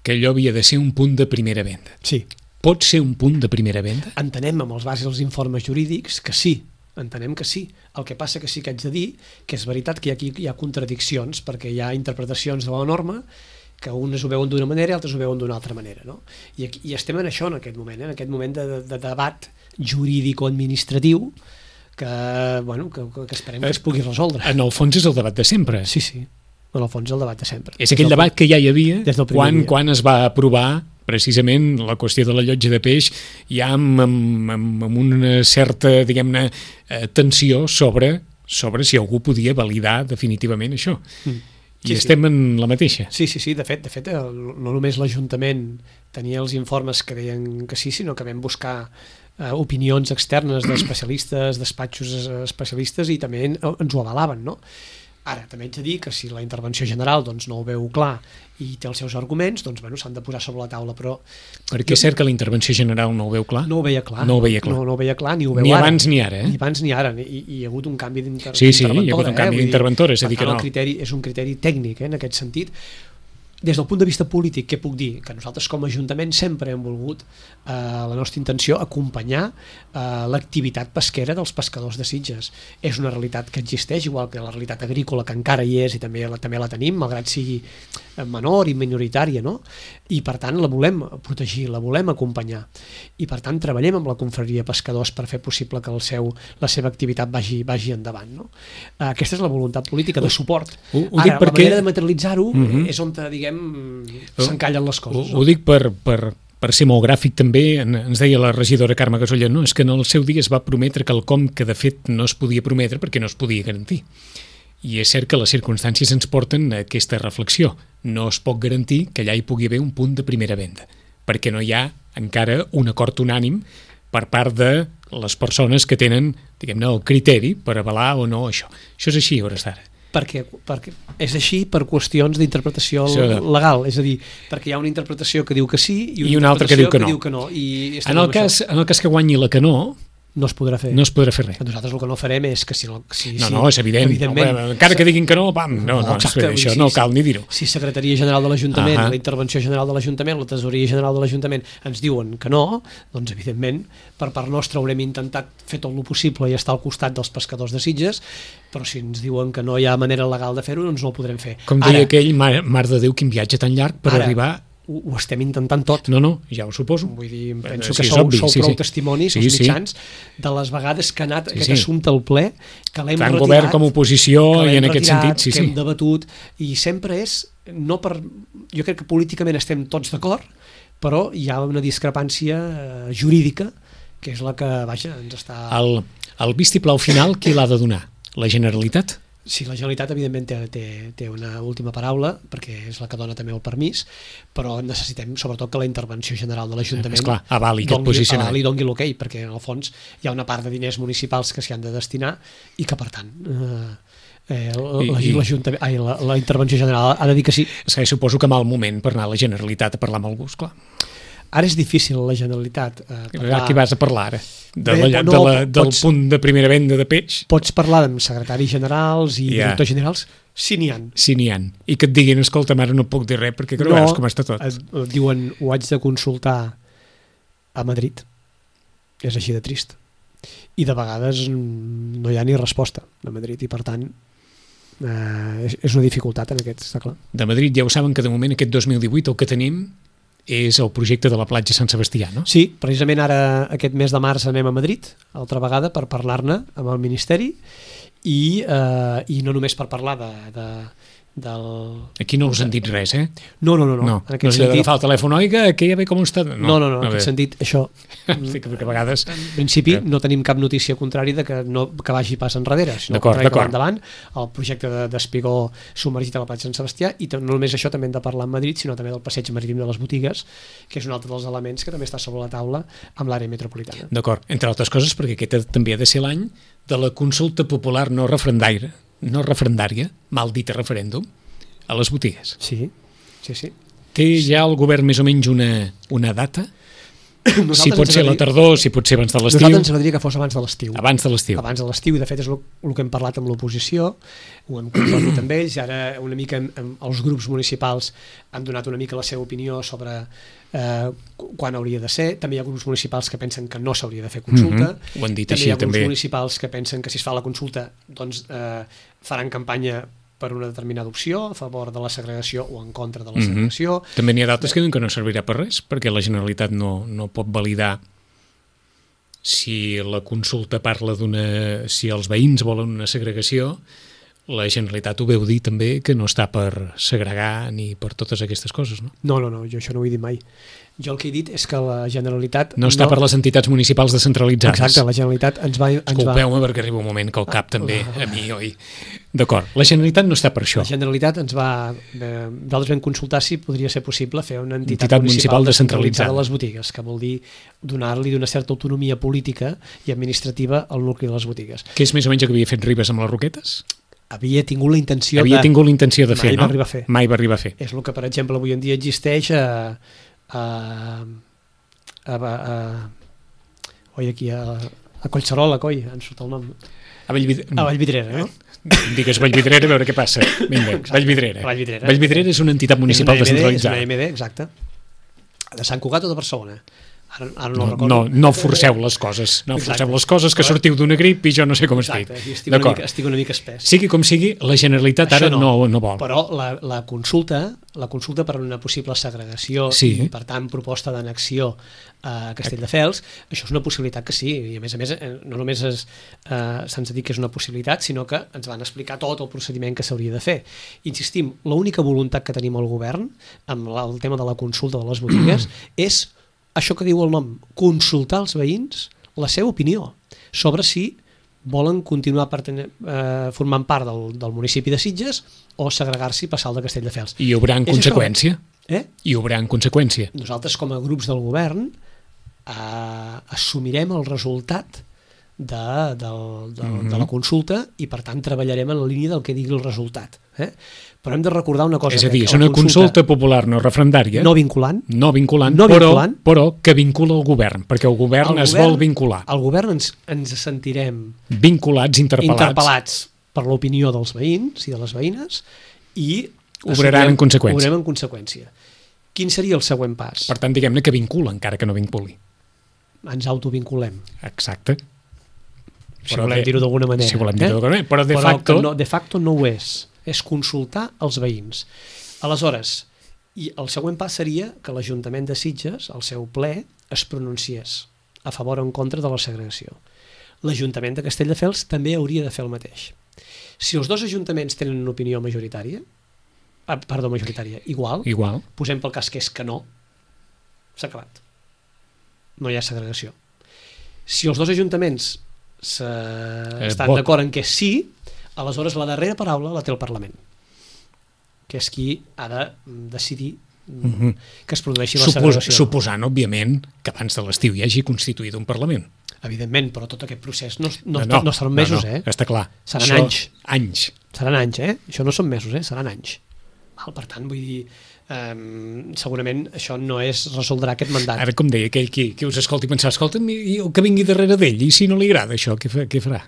que allò havia de ser un punt de primera venda. Sí, Pot ser un punt de primera venda? entenem amb els bases dels informes jurídics que sí, entenem que sí. El que passa que sí que haig de dir que és veritat que aquí hi ha contradiccions perquè hi ha interpretacions de la norma que unes ho veuen d'una manera i altres ho veuen d'una altra manera, no? I, aquí, i estem en això en aquest moment, eh? En aquest moment de, de, de debat jurídico-administratiu que, bueno, que, que esperem que es pugui resoldre. En el fons és el debat de sempre. Sí, sí, en el fons és el debat de sempre. És aquell debat que ja hi havia des del primer quan, dia. quan es va aprovar precisament la qüestió de la llotja de peix ja amb, amb, amb, amb una certa, diguem-ne, eh, tensió sobre, sobre si algú podia validar definitivament això. Mm. I sí, estem sí. en la mateixa. Sí, sí, sí, de fet, de fet no només l'Ajuntament tenia els informes que deien que sí, sinó que vam buscar eh, opinions externes d'especialistes, despatxos especialistes, i també ens ho avalaven, no? Ara, també haig de dir que si la intervenció general doncs, no ho veu clar i té els seus arguments, doncs bueno, s'han de posar sobre la taula, però... Perquè és cert que la intervenció general no ho veu clar? No ho veia clar. No ho veia clar. No, no ho veia clar, ni ho veu ni ara. Ni abans ni ara, eh? Ni abans ni ara, i, i hi ha hagut un canvi d'interventora. Sí, sí, hi ha hagut un canvi eh? d'interventora, és a dir que no. El criteri és un criteri tècnic, eh, en aquest sentit. Des del punt de vista polític, què puc dir? Que nosaltres com a Ajuntament sempre hem volgut eh, la nostra intenció acompanyar eh, l'activitat pesquera dels pescadors de Sitges. És una realitat que existeix, igual que la realitat agrícola, que encara hi és i també la, també la tenim, malgrat sigui menor i minoritària, no? I per tant la volem protegir, la volem acompanyar. I per tant treballem amb la confraria Pescadors per fer possible que el seu, la seva activitat vagi, vagi endavant, no? Eh, aquesta és la voluntat política de suport. Ho, ho Ara, perquè... la manera de materialitzar-ho uh-huh. és on, diguem, s'encallen les coses. Ho, ho dic per, per, per ser molt gràfic també, ens deia la regidora Carme Gasolla, no, és que en el seu dia es va prometre quelcom que de fet no es podia prometre perquè no es podia garantir. I és cert que les circumstàncies ens porten a aquesta reflexió. No es pot garantir que allà hi pugui haver un punt de primera venda, perquè no hi ha encara un acord unànim per part de les persones que tenen, diguem-ne, el criteri per avalar o no això. Això és així a hores d'ara. Perquè, perquè és així per qüestions d'interpretació legal, és a dir, perquè hi ha una interpretació que diu que sí i una, I una altra que diu que no. Que diu que no i en, el cas, en el cas que guanyi la que no, no es podrà fer. No es podrà fer res. Nosaltres el que no farem és que si... si no, no, és evident. No, encara que diguin que no, pam, no, no, exacte, no això si, no cal ni dir-ho. Si Secretaria General de l'Ajuntament, uh-huh. la Intervenció General de l'Ajuntament, la Tesoreria General de l'Ajuntament ens diuen que no, doncs evidentment per part nostra haurem intentat fer tot el possible i estar al costat dels pescadors de Sitges, però si ens diuen que no hi ha manera legal de fer-ho, doncs no ho podrem fer. Com deia ara, aquell, mar, mar de Déu, quin viatge tan llarg per ara, arribar... Ho, ho estem intentant tot. No, no, ja ho suposo. Vull dir, penso sí, que sou, obvi, sou sí, prou sí. testimonis, sí, els mitjans, sí. de les vegades que ha anat sí, aquest sí. assumpte al ple, que l'hem Tant retirat, govern com oposició i en retirat, aquest sentit, sí, que sí. hem debatut, i sempre és, no per, jo crec que políticament estem tots d'acord, però hi ha una discrepància eh, jurídica, que és la que, vaja, ens està... El, el vistiplau final, qui l'ha de donar? La Generalitat? Sí, la Generalitat evidentment té, té, té una última paraula perquè és la que dona també el permís, però necessitem sobretot que la intervenció general de l'Ajuntament Esclar, avali aquest posicionament. Avali i doni l'ok, perquè en el fons hi ha una part de diners municipals que s'hi han de destinar i que per tant eh, eh, la, ai, la, la intervenció general ha de dir que sí. És que suposo que mal moment per anar a la Generalitat a parlar amb algú, esclar. Ara és difícil la Generalitat eh, parlar... Aquí vas a parlar ara? De Bé, la, no, de la, del pots, punt de primera venda de peix? Pots parlar amb secretaris generals i yeah. directors generals, si n'hi ha. Si n'hi ha. I que et diguin, escolta, ara no puc dir res perquè no, veus com està tot. Et, et diuen, ho haig de consultar a Madrid. És així de trist. I de vegades no hi ha ni resposta a Madrid i per tant eh, és una dificultat en aquest, està clar. De Madrid ja ho saben que de moment aquest dos mil divuit el que tenim és el projecte de la platja Sant Sebastià, no? Sí, precisament ara aquest mes de març anem a Madrid, altra vegada, per parlar-ne amb el Ministeri i, eh, i no només per parlar de, de, del... Aquí no us han dit res, eh? No, no, no. No, no, en aquest no sentit... d'agafar el telèfon, oiga, que ja ve com està... No, no, no, no en aquest sentit, això... sí, que a vegades... En principi eh. no tenim cap notícia contrària de que, no, que vagi pas enrere, sinó que va endavant el projecte d'espigó submergit a la platja Sant Sebastià i no només això també hem de parlar en Madrid, sinó també del passeig marítim de les botigues, que és un altre dels elements que també està sobre la taula amb l'àrea metropolitana. D'acord, entre altres coses perquè aquest també ha de ser l'any de la consulta popular no referendària, no referendària, mal dit a referèndum, a les botigues. Sí, sí, sí. Té ja el govern més o menys una, una data? Nosaltres si pot ser a la tardor, si pot ser abans de l'estiu. Nosaltres ens agradaria que fos abans de l'estiu. Abans de l'estiu. Abans de l'estiu, i de fet és el, el que hem parlat amb l'oposició, ho hem compartit amb ells, i ara una mica amb, amb els grups municipals han donat una mica la seva opinió sobre eh, quan hauria de ser. També hi ha grups municipals que pensen que no s'hauria de fer consulta. Mm-hmm. Ho han dit també així, hi ha grups també. municipals que pensen que si es fa la consulta doncs eh, faran campanya per una determinada opció, a favor de la segregació o en contra de la segregació. Mm-hmm. També n'hi ha d'altres que diuen que no servirà per res, perquè la Generalitat no, no pot validar si la consulta parla d'una... si els veïns volen una segregació, la Generalitat ho veu dir també, que no està per segregar ni per totes aquestes coses, no? No, no, no, jo això no ho he dit mai. Jo el que he dit és que la Generalitat... No està no... per les entitats municipals descentralitzades. Exacte, la Generalitat ens va... Escolpeu-me va... perquè arriba un moment que el cap també, a mi, oi? D'acord, la Generalitat no està per això. La Generalitat ens va... Eh, nosaltres vam consultar si podria ser possible fer una entitat, entitat municipal, municipal descentralitzada a les botigues, que vol dir donar-li d'una certa autonomia política i administrativa al nucli de les botigues. Que és més o menys el que havia fet Ribes amb les Roquetes? Havia tingut la intenció havia de... tingut la intenció de fer, mai no? Va arribar a fer. Mai va arribar a fer. És el que, per exemple, avui en dia existeix a... a, a, a, a oi, aquí a, a Collserola, coi, em surt el nom. A Vallvidrera. A Vallvidrera, no? Digues Vallvidrera a veure què passa. Vinga, Vallvidrera. Vallvidrera. Vallvidrera és una entitat municipal és una M D, descentralitzada. És una M D, exacte. De Sant Cugat o de Barcelona? Ara, ara no, no, no, no forceu les coses, no Exacte. forceu les coses, que sortiu d'una grip i jo no sé com estic. Exacte, estic una, mica, estic una mica espès. Sigui com sigui, la Generalitat Això ara no, no, no vol. Però la, la consulta la consulta per una possible segregació sí. i, per tant, proposta d'annexió a Castelldefels, això és una possibilitat que sí, i a més a més no només es, eh, se'ns ha dit que és una possibilitat, sinó que ens van explicar tot el procediment que s'hauria de fer. Insistim, l'única voluntat que tenim al govern amb el tema de la consulta de les botigues és això que diu el nom, consultar als veïns la seva opinió sobre si volen continuar pertene, eh, formant part del, del municipi de Sitges o segregar-s'hi i passar al de Castelldefels. I hi haurà en conseqüència. Eh? I hi haurà en conseqüència. Nosaltres, com a grups del govern, eh, assumirem el resultat de, de, de, mm-hmm. de la consulta i, per tant, treballarem en la línia del que digui el resultat. Eh? Però hem de recordar una cosa. És a dir, és una consulta, consulta popular no referendària. No vinculant. No vinculant, no però, vinculant. però que vincula el govern, perquè el govern el es govern, vol vincular. El govern ens, ens sentirem vinculats, interpel·lats. interpel·lats per l'opinió dels veïns i de les veïnes i obraran en conseqüència. Obrem en conseqüència. Quin seria el següent pas? Per tant, diguem-ne que vincula, encara que no vinculi. Ens autovinculem. Exacte. Si però volem dir-ho d'alguna manera. Si volem dir-ho eh? d'alguna manera, però de però facto... No, de facto no ho és. És consultar els veïns. Aleshores, i el següent pas seria que l'Ajuntament de Sitges, al seu ple, es pronunciés a favor o en contra de la segregació. L'Ajuntament de Castelldefels també hauria de fer el mateix. Si els dos ajuntaments tenen una opinió majoritària, ah, perdó, majoritària, igual, igual, posem pel cas que és que no, s'ha acabat. No hi ha segregació. Si els dos ajuntaments se... eh, estan d'acord en que sí, aleshores la darrera paraula la té el Parlament, que és qui ha de decidir mm-hmm. que es produeixi la Supos, segregació. Suposant, òbviament, que abans de l'estiu hi hagi constituït un Parlament. Evidentment, però tot aquest procés no, no, no, no, no seran mesos, no, no, eh? Està clar. Seran Això, anys. Anys. Seran anys, eh? Això no són mesos, eh? Seran anys. Val, per tant, vull dir, um, segurament això no és resoldrà aquest mandat. Ara, com deia aquell qui, qui us escolti pensar, escolta'm, i el que vingui darrere d'ell, i si no li agrada això, què, fa, què farà?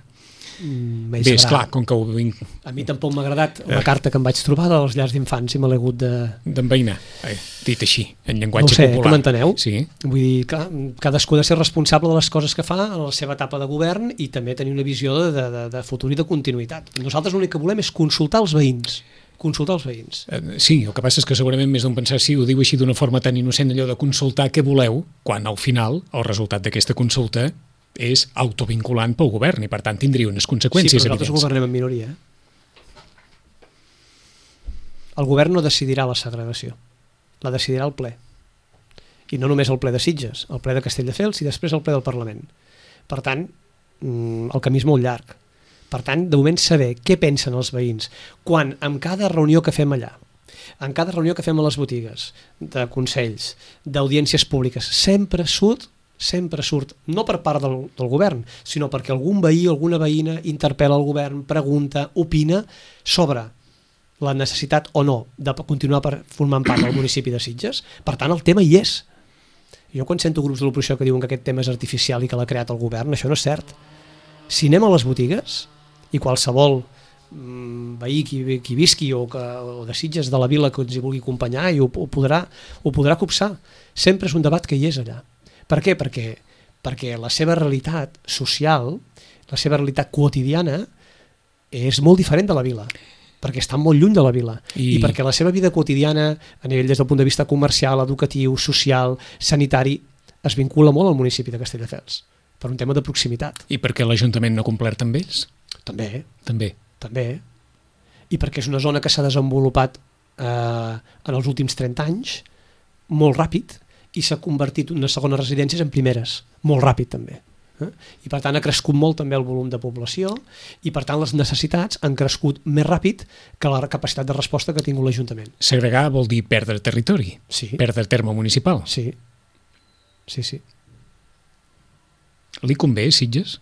Mm, Bé, esclar, com que ho vinc... A mi tampoc m'ha agradat la carta que em vaig trobar dels llars d'infants i me l'he hagut de... d'enveïnar, eh, dit així, en llenguatge no sé, popular. que m'enteneu? Sí. Vull dir, que cadascú ha de ser responsable de les coses que fa en la seva etapa de govern i també tenir una visió de, de, de futur i de continuïtat. Nosaltres l'únic que volem és consultar els veïns. Consultar els veïns. Eh, sí, el que passa és que segurament més d'un pensar si ho diu així d'una forma tan innocent, allò de consultar què voleu, quan al final el resultat d'aquesta consulta és autovinculant pel govern i per tant tindria unes conseqüències evidents. Sí, però nosaltres evidents. governem en minoria. El govern no decidirà la segregació, la decidirà el ple. I no només el ple de Sitges, el ple de Castelldefels i després el ple del Parlament. Per tant, el camí és molt llarg. Per tant, de moment saber què pensen els veïns quan en cada reunió que fem allà, en cada reunió que fem a les botigues, de consells, d'audiències públiques, sempre surt sempre surt, no per part del, del govern, sinó perquè algun veí o alguna veïna interpel·la el govern, pregunta, opina sobre la necessitat o no de continuar per, formant part del municipi de Sitges. Per tant, el tema hi és. Jo quan sento grups de l'oposició que diuen que aquest tema és artificial i que l'ha creat el govern, això no és cert. Si anem a les botigues i qualsevol mm, veí qui, qui visqui o, que, o de Sitges de la vila que ens hi vulgui acompanyar i ho, ho, podrà, ho podrà copsar. Sempre és un debat que hi és allà. Per què? Perquè, perquè la seva realitat social, la seva realitat quotidiana és molt diferent de la vila, perquè està molt lluny de la vila. I, I perquè la seva vida quotidiana, a nivell des del punt de vista comercial, educatiu, social, sanitari, es vincula molt al municipi de Castelldefels, per un tema de proximitat. I perquè l'Ajuntament no ha complert amb ells? També. També. També. i perquè és una zona que s'ha desenvolupat eh, en els últims trenta anys, molt ràpid, i s'ha convertit unes segones residències en primeres, molt ràpid també. Eh? I per tant ha crescut molt també el volum de població i per tant les necessitats han crescut més ràpid que la capacitat de resposta que ha tingut l'Ajuntament. Segregar vol dir perdre territori, sí. Perdre terme municipal. Sí, sí, sí. Li convé, Sitges?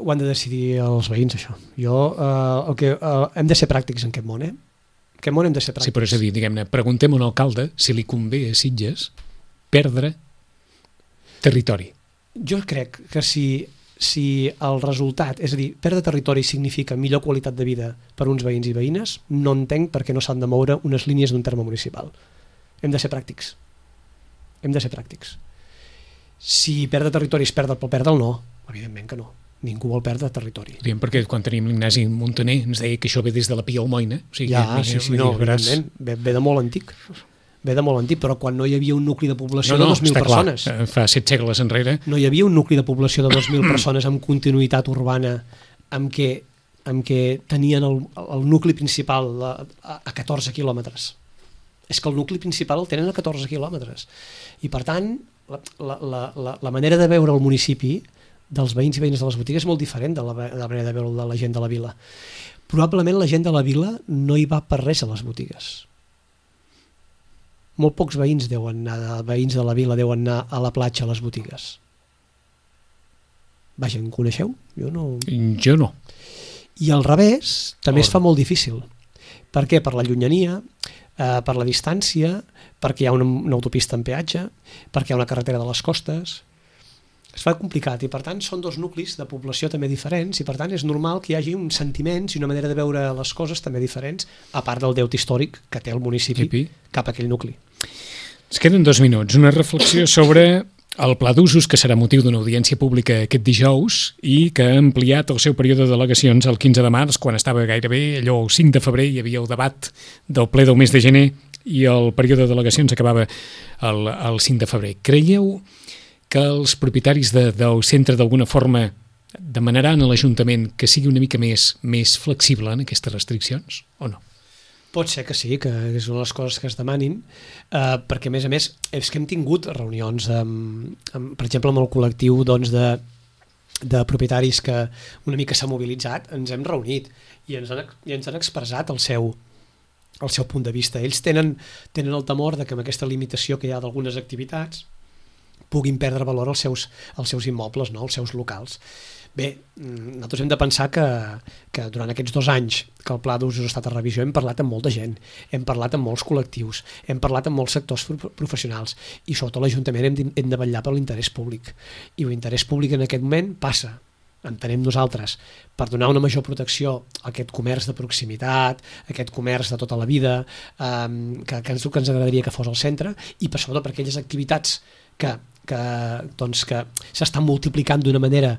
Ho han de decidir els veïns, això. Jo, eh, el que, eh, hem de ser pràctics en aquest món, eh? En aquest món hem de ser pràctics. Sí, però és a dir, diguem-ne, preguntem a un alcalde si li convé a Sitges perdre territori. Jo crec que si, si el resultat, és a dir, perdre territori significa millor qualitat de vida per uns veïns i veïnes, no entenc per què no s'han de moure unes línies d'un terme municipal. Hem de ser pràctics. Hem de ser pràctics. Si perdre territori és perdre pel perdre'l, no. Evidentment que no. Ningú vol perdre territori. Diem perquè quan tenim l'Ignasi Montaner ens deia que això ve des de la Pia Almoina. O sigui, ja, mira, sí, sí, mira, no, veràs... evidentment, ve, ve de molt antic. Ve de molt antic, però quan no hi havia un nucli de població no, no, de dos mil persones. Clar, fa set segles enrere. No hi havia un nucli de població de dos mil persones amb continuïtat urbana, amb què, amb què tenien el, el nucli principal a, a catorze quilòmetres. És que el nucli principal el tenen a catorze quilòmetres. I per tant, la, la, la, la manera de veure el municipi dels veïns i veïnes de les botigues és molt diferent de la, de la manera de veure de la gent de la vila. Probablement la gent de la vila no hi va per res a les botigues. Molt pocs veïns deuen anar, veïns de la vila deuen anar a la platja a les botigues. Vaja, en coneixeu? Jo no... Jo no. I al revés, també Or. es fa molt difícil. Per què? Per la llunyania, eh, per la distància, perquè hi ha una, una autopista en peatge, perquè hi ha una carretera de les costes. Es fa complicat i per tant són dos nuclis de població també diferents i per tant és normal que hi hagi uns sentiments i una manera de veure les coses també diferents, a part del deute històric que té el municipi Epi. cap a aquell nucli. Es queden dos minuts. Una reflexió sobre el pla d'usos que serà motiu d'una audiència pública aquest dijous i que ha ampliat el seu període de delegacions el quinze de març, quan estava gairebé allò el cinc de febrer, hi havia el debat del ple del mes de gener i el període de delegacions acabava el, el cinc de febrer. Creieu que els propietaris de, del centre d'alguna forma demanaran a l'Ajuntament que sigui una mica més, més flexible en aquestes restriccions o no? Pot ser que sí, que és una de les coses que es demanin, eh, perquè a més a més és que hem tingut reunions, amb, amb, per exemple amb el col·lectiu doncs, de, de propietaris que una mica s'ha mobilitzat, ens hem reunit i ens han, i ens han expressat el seu, el seu punt de vista. Ells tenen, tenen el temor de que amb aquesta limitació que hi ha d'algunes activitats puguin perdre valor als seus, als seus immobles, no? Als seus locals. Bé, nosaltres hem de pensar que, que durant aquests dos anys que el pla d'usos ha estat a revisió hem parlat amb molta gent, hem parlat amb molts col·lectius, hem parlat amb molts sectors professionals i sobretot l'Ajuntament hem, hem de vetllar per l'interès públic. I l'interès públic en aquest moment passa, entenem nosaltres, per donar una major protecció a aquest comerç de proximitat, a aquest comerç de tota la vida, eh, que, que, ens, que ens agradaria que fos al centre, i per sobretot per aquelles activitats que, que, doncs, que s'estan multiplicant d'una manera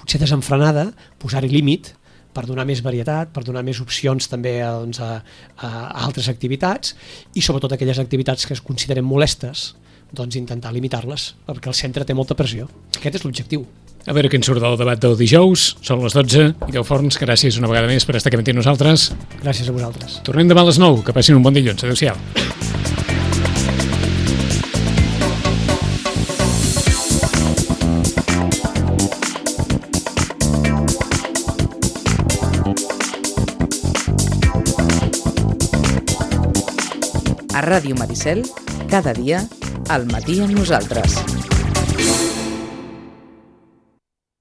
potser desenfrenada, posar-hi límit per donar més varietat, per donar més opcions també a, doncs, a, a altres activitats i sobretot aquelles activitats que es consideren molestes, doncs intentar limitar-les, perquè el centre té molta pressió. Aquest és l'objectiu. A veure què en surt del debat del dijous. Són les dotze. Miquel Forns, gràcies una vegada més per estar aquí amb nosaltres. Gràcies a vosaltres. Tornem demà a les nou. Que passin un bon dilluns. Adéu-siau. A Ràdio Maricel, cada dia, al matí amb nosaltres.